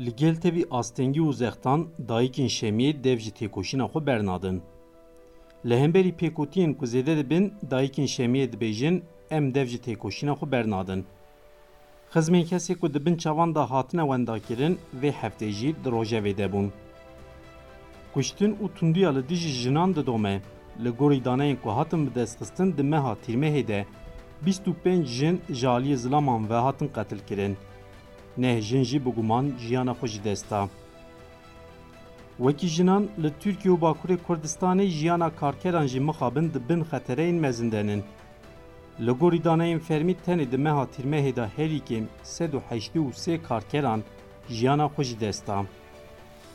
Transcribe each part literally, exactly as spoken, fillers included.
Li gel tevî astengî û zextan dayikên Şemiyê dev ji têkoşîna xwe bernadin. Li hemberî pêkotiyên ku zêde dibin, dayikên Şemiyê dibêjin, em dev ji têkoşîna xwe bernadin. Xizmên kesê ku di bin çavan de hatine wendakirin, vê heftê jî di rojevê de bûn. Kuştin û tundiya li dijî jinan didome. Li gorî daneyên ku hatin bidestxistin, di meha Tîrmehê de bîst û pênc jin ji aliyê zilaman ve hatin qetilkirin. Neh jin jî bi guman jiyana xwe ji dest da. Wekî jinan, li Tirkiye û Bakurê Kurdistanê jiyana karkeran jî mixabin di bin xetereyên mezin de nin. Li gorî daneyên fermî, tenê di meha Tîrmehê de herî kêm sed û heştê û sê karkeran jiyana xwe ji dest da.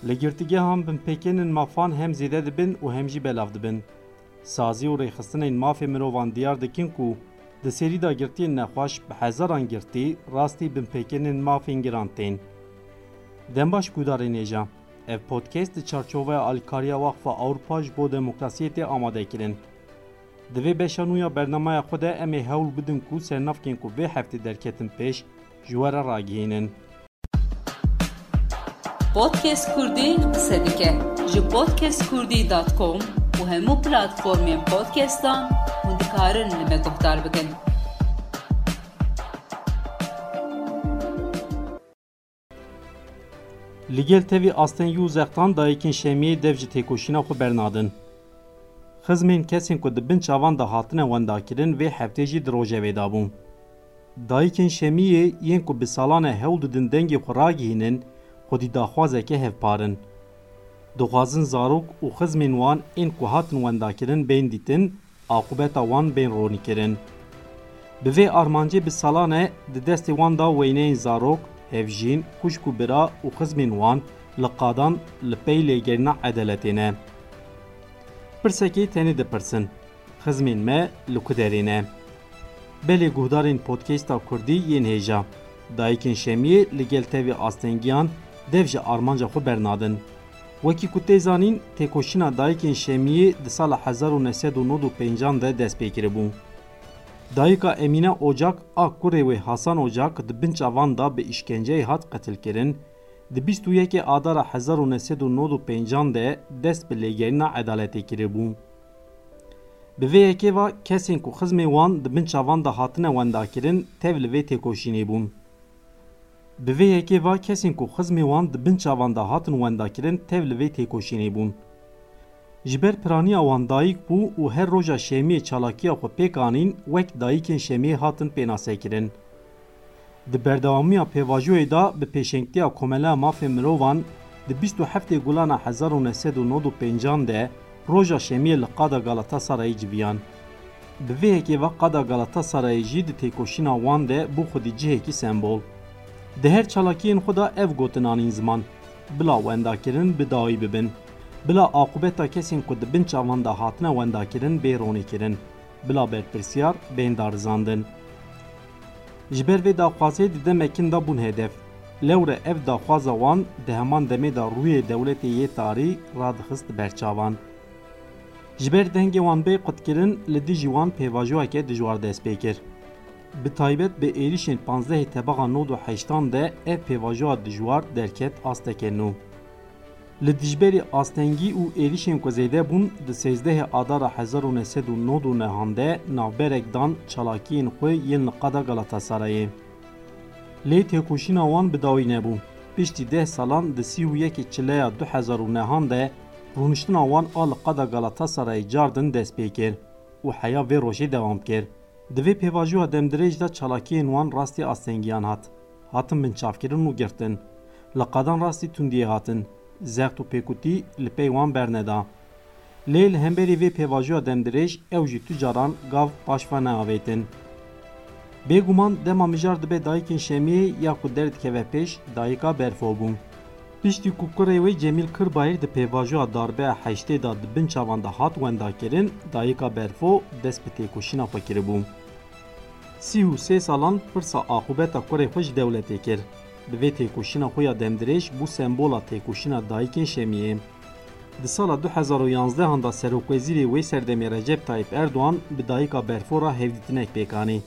Li girtîgehan binpêkên mafan hem zêde dibin û hem jî belav dibin. Sazî û rêxistinên mafê mirovan diyar dikin ku di serî de girtiyên nexweş bi hezaran girtî rastî binpêkên mafên giran tên. Dem baş guhdarên hêja. Ev podcast di çarçoveya alîkariya Waqfa Ewropa ji bo Demokrasiyê tê amadekirin. Di vê beşa nû ya bernameya xwe de em ê hewl bidin ku sernavkên ku vê heftê derketin pêş ji we re ragihînin. Podcast Kurdî qise dike. Ji podcast kurdî dot com û hemû platformên podcastan hûn dikarin li me guhdar bikin. Li gel tevî astengî û zextan dayikên Şemiyê dev ji têkoşîna xwe bernadin. Xizmên kesên ku di bin çavan de hatine wendakirin vê heftê jî di rojevê de bûn. Dayikên Şemiyê yên ku bi salan e hewl didin dengê xwe ragihînin, xwedî daxwazeke hevpar in. Dixwazin zarok û xizmên wan ên ku hatin wendakirin bên dîtin, aqûbeta wan bên ronîkirin. Bi vê armancê bi salan e di destê wan de weyneyên zarok, hevjîn, xwişk û bira û xizmên wan li qadan li pey lêgerîna edaletê ne. Pirsekê tenê dipirsin, xizmên me li ku derê ne? Belê guhdarên podcasta Kurdî yên hêja, dayikên Şemiyê li gel tevî astengiyan dev ji armanca xwe bernadin. Wekî ku tê zanîn, têkoşîna dayikên Şemiyê di sala hezar û neh sed û nod û pêncan de dest pê kiribû. Dayika Emîne Ocak a kurê wê Hasan Ocak di bin çavan de bi îşkenceyê hat qetilkirin, di bîst û yekê Adara hezar û neh sed û nod û pêncan de dest bi lêgerîna edaletê kiribû. Bi vê yekê ve kesên ku xizmê wan di bin çavan de hatine wendakirin, tev li vê têkoşînê bûn. Bi vê yekê ve kesên ku xizmê wan di bin çavan de hatin wendakirin, tev li vê têkoşînê bûn. Ji ber piraniya wan dayik bû û her roja Şemiyê çalakiya xwe pêk anîn, wek dayikên Şemiyê hatin pênasekirin. Di berdewamiya pêvajoyê de bi pêşengtiya Komeleya Mafê Mirovan di bîst û heftê Gulana hezar û neh sed û nod û pêncan de roja Şemiyê li qada Galatasarayê civiyan. Bi vê yekê ve qada Galatasarayê jî di têkoşîna wan de bû xwedî cihekî sembol. Di her çalakiyên xwe de ev gotin anîn ziman, bila wendakirin bi dawî bibin, bila aqûbeta kesên ku di bin çavan de hatine wendakirin bê ronîkirin, bila berpirsiyar bên darizandin. Ji ber vê daxwazê di demekin de bûn hedef. Lewre ev daxwaza wan di heman demê de rûyê dewletê yê tarî radixist ber çavan. Ji ber dengê wan bê qutkirin, li dijî wan pêvajoyeke dijwar dest pê kir. Bi taybet bi êrîşên panzdehê Tebaxa nod û heştan de ev pêvajoya dijwar derket asteke nû. Li dijberî astengî û êrîşên ku zêde bûn, di sêzdehê Adara hezar û neh sed û nod û nehan de navberek dan çalakiyên xwe yên li qada Galatasarayê. Lê têkoşîna wan bi dawî nebû. Piştî deh salan di sî û yekê Çileya du hezar û nehan de rûniştina wan a li qada Galatasarayê cardin dest pê kir û heya vê rojê dewam kir. Di vê pêvajoya demdirêj de çalakiyên wan rastî astengiyan hat. Hatin binçavkirin û girtin. Li qadan rastî tundiyê hatin. Zext û pêkutî li pey wan berneda. Lê li hemberî vê pêvajoya demdirêj ew jî tu caran gav paş ve neavêtin. Bêguman dema mijar dibe dayikên Şemiyê ya ku derdikeve pêş, dayika Berfo bû. Piştî ku kurê wê Cemîl Kirbayir di pêvajoya darbeya heştê de di bin çavan de hat wendakirin, dayika Berfo dest bi têkoşîna xwe kiribû. Sî û sê salan pirsa aqûbeta kurê xwe ji dewletê kir. Bi vê têkoşîna xwe ya demdirêj bû sembola têkoşîna dayikên Şemiyê. Di sala du hezar û yanzdehan de serokwezîrê wê serdemê Recep Tayyip Erdogan bi dayika Berfo re hevdîtinek pêk anî.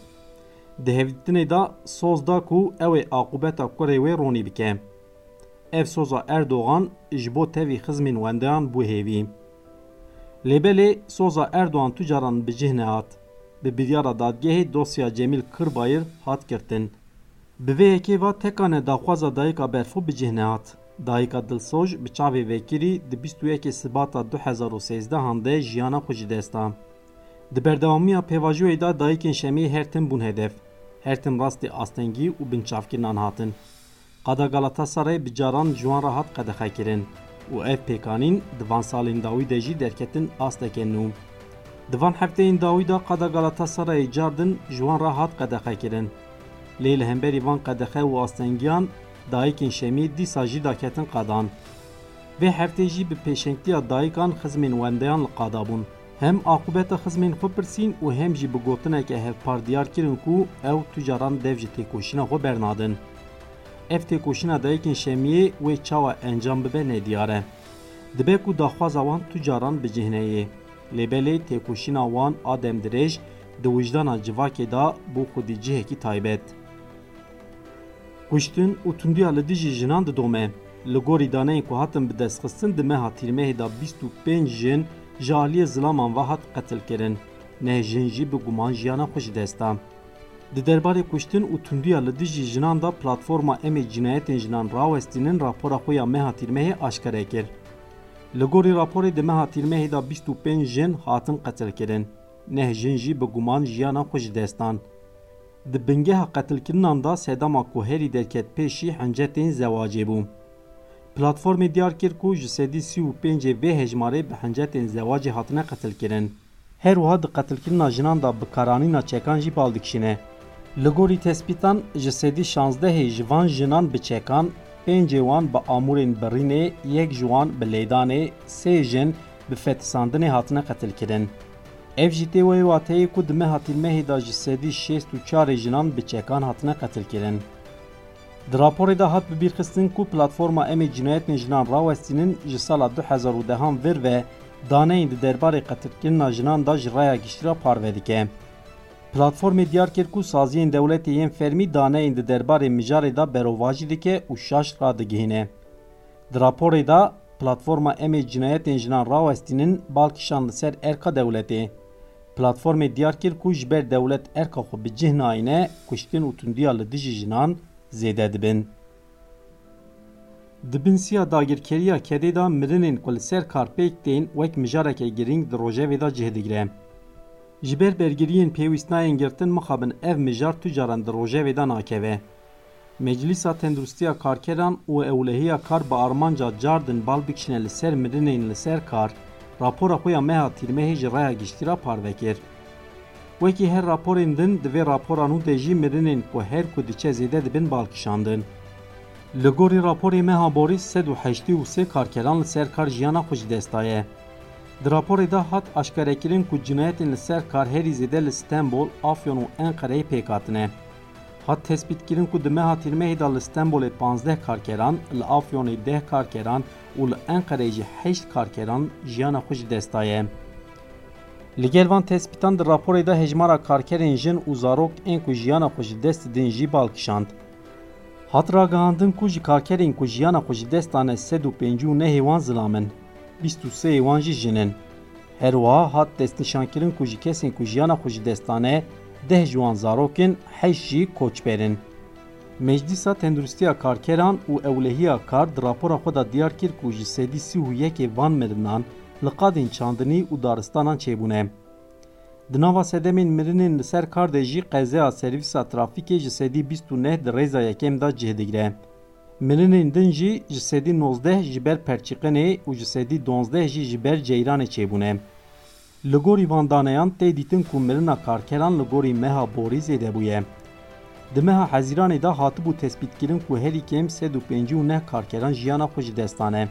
Di hevdîtinê de soz da ku ew ê aqûbeta kurê wê ronî bike. Ev soza Erdogan ji bo tevî xizmên wendeyan bû hêvî. Lê belê soza Erdogan tu caran bi cih nehat. Bi biryara dadgehê dosya Cemîl Kırbayır hat girtin. Bi vê yekê ve tekane daxwaza dayika Berfo bi cih nehat. Dayika Dilsoj bi çavê vekirî di bîst û yekê Sibata du hezar û sêzdehan de jiyana xwe ji dest da. Di berdewamiya pêvajoyê de dayikên Şemiyê her tim bûn hedef. Her tim rastî astengî û binçavkirinan hatin. Qada Galatasarayê bi caran ji wan re hat qedexekirin û ev pêkanîn di van salên dawî de jî derketin asteke nû. Di van hefteyên dawî de qada Galatasarayê car din ji wan re hat qedexekirin. Lê li hemberî van qedexe û astengiyan dayikên Şemiyê dîsa jî daketin qadan. Vê heftê jî bi pêşengtiya dayikan xizmên wendeyan li qada bûn. Hem aqûbeta xizmên xwe pirsîn û hem jî bi gotineke hevpar diyar kirin ku ew tu caran dev ji têkoşîna xwe bernadin. Ev têkoşîna dayikên Şemiyê wê çawa encam bibe nediyar e. Dibe ku daxwaza wan tu caran bi cih neyê. Lê belê têkoşîna wan a demdirêj di wijdana civakê de bû xwedî cihekî taybet. Kuştin û tundiya li dijî jinan didome. Li gorî daneyên ku hatin bidestxistin, di meha Tîrmehê de bîst û pênc jin ji aliyê zilaman ve hat qetilkirin. Neh jin jî bi guman jiyana xwe ji dest da. Di derbarê kuştin û tundiya li dijî jinan de Platforma Em ê Cinayetên Jinan Rawestînin rapora xwe ya meha Tîrmehê aşkere kir. Li gorî raporê di meha Tîrmehê de bîst û pênc jin hatin qetilkirin. Neh jin jî bi guman jiyana xwe ji dest dan. Di bingeha qetilkirinan de sedema ku herî derket pêşî hincetên zewacê bû. Platformê diyar kir ku ji sedî sî û pêncê vê hejmarê bi hincetên zewacê hatine qetilkirin. Her wiha di qetilkirina jinan de bikaranîna çekan jî bal dikişîne. Li gorî tespîtan, ji sedî şazdehê ji van jinan bi çekan, pêncê wan bi amûrên birînê, yek ji wan bi lêdanê, sê jin bi fetisandinê hatine qetilkirin. Ev jî tê wê wateyê ku di meha Tîrmehê de ji sedî şêst û çarê jinan bi çekan hatine qetilkirin. Di raporê de hat bibîrxistin ku Platforma Em ê Cinayetên Jinan Rawestînin ji sala du hezar û dehan vir ve daneyên di derbarê qetilkirina jinan de ji raya giştî re parve dike. Platformê diyar kir ku saziyên dewletê yên fermî daneyên di derbarê mijarê de berovajî dike û şaş radigihîne. Di raporê de Platforma Em ê Cinayetên Jinan Rawestînin bal kişand li ser erka dewletê. Platformê diyar kir ku ji ber dewlet erka xwe bi cih nayîne, kuştin û tundiya li dijî jinan zêde dibin. Di bin siya dagirkeriya kedê de mirinên ku li ser kar pêk tên wek mijareke girîng di rojevê de cih digire. Ji ber bergiriyên pêwîst nayên girtin, mixabin ev mijar tu caran di rojevê de nakeve. Meclîsa Tenduristiya Karkeran û Ewlehiya Kar bi armanca cardin bal bikişîne li ser mirinên li ser kar, rapora xwe ya meha Tîrmehê ji raya giştî re parve kir. Wekî her raporên din, di vê rapora nû de jî mirinên ku her ku diçe zêde dibin bal kişandin. Li gorî raporê meha borî, sed û heştê û sê karkeran li ser kar jiyana xwe ji dest daye. Di raporê de hat aşkarekirin ku cinayetên li ser kar herî zêde li Stenbol, Afyon û Enqereyê pêk hatine. Hat tespîtkirin ku di meha Tîrmehê de li Stenbolê panzdeh karkeran, li Afyonê deh karkeran û li Enqereyê jî heşt karkeran jiyana xwe ji dest daye. Li gel van tespîtan di raporê de hejmara karkerên jin û zarok ên ku jiyana xwe ji dest didin jî bal kişand. Hat ragihandin ku ji karkerên ku jiyana xwe ji dest dane sed û pêncî û nehê wan zilam in, bîst û sê yê wan jî jin in. Her wiha hat destnîşankirin ku ji kesên ku jiyana xwe ji dest dane, deh ji wan zarok in, heşt jî koçber in. Meclîsa Tenduristiya Karkeran û Ewlehiya Kar di rapora xwe de diyar kir ku ji sedî sî û yekê van mirinan li qadên çandinî û daristanan çêbûne. Di nava sedemên mirinên li ser kar de jî qezeya servîsa trafîkê ji sedî bîst û neh di rêza yekem de cih digire. Mirinên din jî ji sedî nozdeh ji ber perçiqinê û ji sedî donzdeh jî ji ber ceyranê çêbûne. Li gorî van daneyan tê dîtin ku mirina karkeran li gorî meha borî zêde bûye. Di meha Hezîranê de hatibû tespîtkirin ku herî kêm sed û pêncî û neh karkeran jiyana xwe ji dest dane.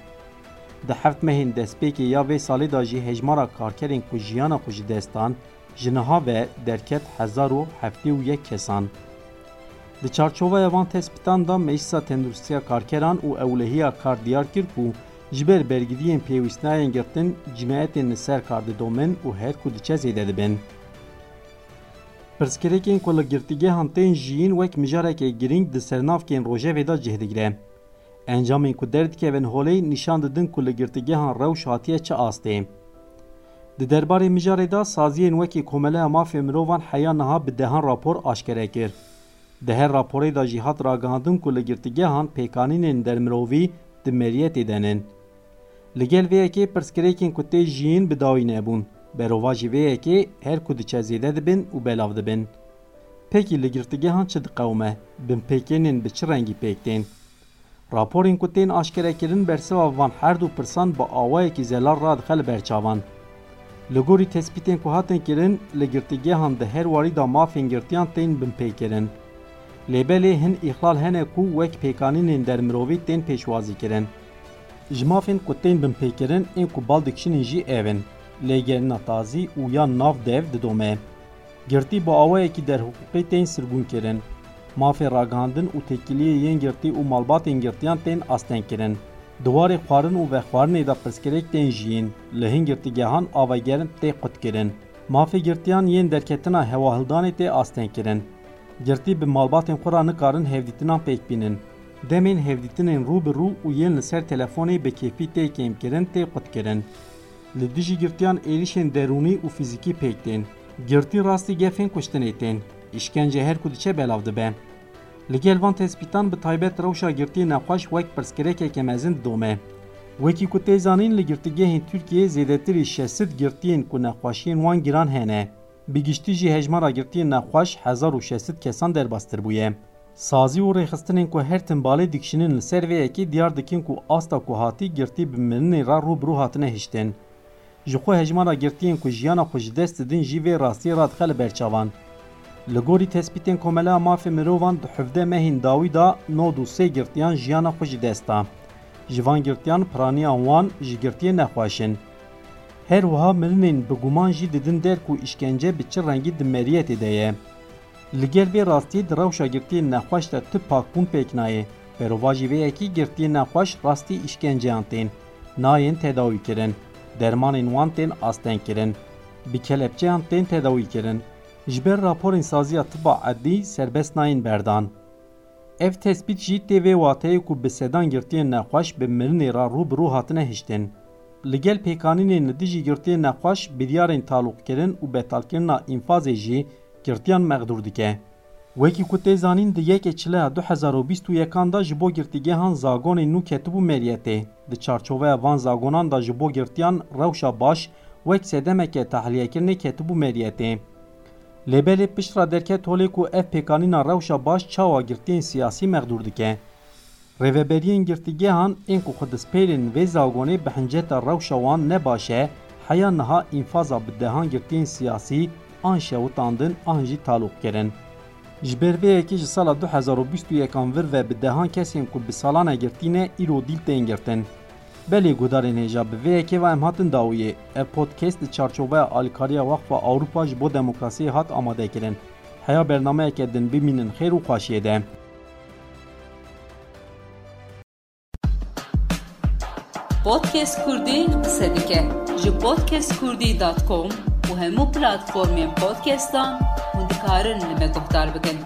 Di heft mehên destpêkê ya vê salê de jî hejmara karkerên ku jiyana xwe ji dest dan, ji niha ve derket hezar û heftê û yek kesan. Di çarçoveya van tespîtan de Meclisa Tenduristiya Karkeran û Ewlehiya Kar diyar kir ku ji ber bergiriyên pêwîst nayên girtin, cinayetên li ser kar didomin û her ku diçe zêde dibin. Pirsgirêkên ku li girtîgehan tên jiyîn wek mijareke girîng di sernavkên rojevê de cih digire. Encamên ku derdikevin holê nîşan didin ku li girtîgehan rewş hatiye çi astê. Di derbarê mijarê de saziyên wekî Komeleya Mafê Mirovan heya niha bi dehan rapor aşkere kir. Di her raporê de jî hat ragihandin ku li girtîgehan pêkanînên dermirovî di meriyetê de nin. Li gel vê yekê pirsgirêkên ku tê jiyîn bi dawî nebûn. Berovajî vê yekê her ku diçe zêde dibin û belav dibin. Pekî li girtîgehan çi diqewime? Binpêkirinên bi çi rengî pêk tên? Raporên ku tên aşkerekirin bersiva van her du pirsan bi awayekî zelal radixe li ber çavan. Li gorî tespîtên ku hatin kirin, li girtîgehan di her warî de mafên girtiyan tên binpêkirin. Lê belê hin îxlal hene ku wek pêkanînên dermirovî tên pêşwazî kirin. Ji mafên ku tên binpêkirin, ên ku bal dikişînin jî ev in: lêgerîna tazî û ya nav dev didome. Girtî bi awayekî derhiqûqî tên sirgûnkirin. Mafê ragihandin û têkiliyê yên girtî û malbatên girtiyan tên astengkirin. Di warê xwarin û vexwarinê de pirsgirêk tên jiyîn. Li hin girtîgehan ava germ tê qutkirin. Mafê girtiyan yên derketina hewahildanê tê astengkirin. Girtî bi malbatên xwe re nikarin hevdîtinan pêk bînin. Demên hevdîtinên rû bi rû û yên li ser telefonê bi kêfî tê kêmkirin tê qutkirin. Li dijî girtiyan êrîşên derûnî û fîzîkî pêk tên. Girtî rastî gefên kuştinê tên. Îşkence her ku diçe belav dibe. Li gel van tespîtan bi taybet rewşa girtiyê nexweş wek pirsgirêkeke mezin didome. Wekî ku tê zanîn, li girtîgehên Tirkiyeyê zêdetirî şeş sed girtiyên ku nexweşiyên wan giran hene. Bi giştî jî hejmara girtiyên nexweş hezar û şeş sed kesan derbastir bûye. Sazî û rêxistinên ku her tim balê dikişînin li ser vê yekê diyar dikin ku asta ku hatî girtî bi mirinê re rû bi rû hatine hiştin. Ji xwe hejmara girtiyên ku jiyana xwe ji dest didin jî vê rastiyê radixe li ber çavan. Li gorî tespîtên Komeleya Mafê Mirovan di hevdeh mehên dawî de nod û sê girtiyan jiyana xwe ji dest da. Ji van girtiyan piraniya wan ji girtiyê nexweş in. Her wiha mirinên bi guman jî didin der ku îşkence bi çi rengî di meriyetê de ye. Li gel vê rastiyê di rewşa girtiyên nexweş de tu pakbûn pêk nayê. Berovajî vê yekê girtiyên nexweş rastî îşkenceyan tên. Nayên tedawî kirin. Dermanên wan tên asteng kirin. Bi kelepçeyan tên tedawî kirin. Ji ber raporên saziya tiba edlî serbest nayên berdan. Ev tespît jî tê vê wateyê ku bi sedan girtiyên nexweş bi mirinê re rû bi rû hatine hiştin. Li gel pêkanînên li dijî girtiyên nexweş, biryarên talûqkirin û betalkirina înfazê jî girtiyan mexdûr dike. Wekî ku tê zanîn, di yekê çileya du hezar û bîst û yekan de ji bo girtîgehan zagonên nû ketibû meriyetê. Di çarçoveya van zagonan de ji bo girtiyan rewşa baş wek sedemeke tahliyekirinê ketibû meriyetê. Lê belê pişt re derket holê ku ev pêkanîna rewşa baş çawa girtiyên siyasî mexdûr dike. Rêveberiyên girtîgehan ên ku xwe dispêrên vê zagonê bi hinceta rewşa wan ne baş e, heya niha înfaza bi dehan girtiyên siyasî an şewitandin an jî talûq kirin. Ji ber vê yekê ji sala du hezar û bîst û yekan vir ve bi dehan kesên ku bi salan e girtî ne, îro dîl tên girtin. Belê guhdarên hêja, bi vê yekê ve em hatin dawiyê. Ev podcast di çarçoveya alîkariya Waqfa Ewropa ji bo Demokrasiyê hat amadekirin. Heya bernameyeke din bimînin xêr û xweşiyê de. Podcast Kurdî qise dike. Ji podcast kurdî dot com û hemû platformên podcastan hûn dikarin li me guhdar bikin.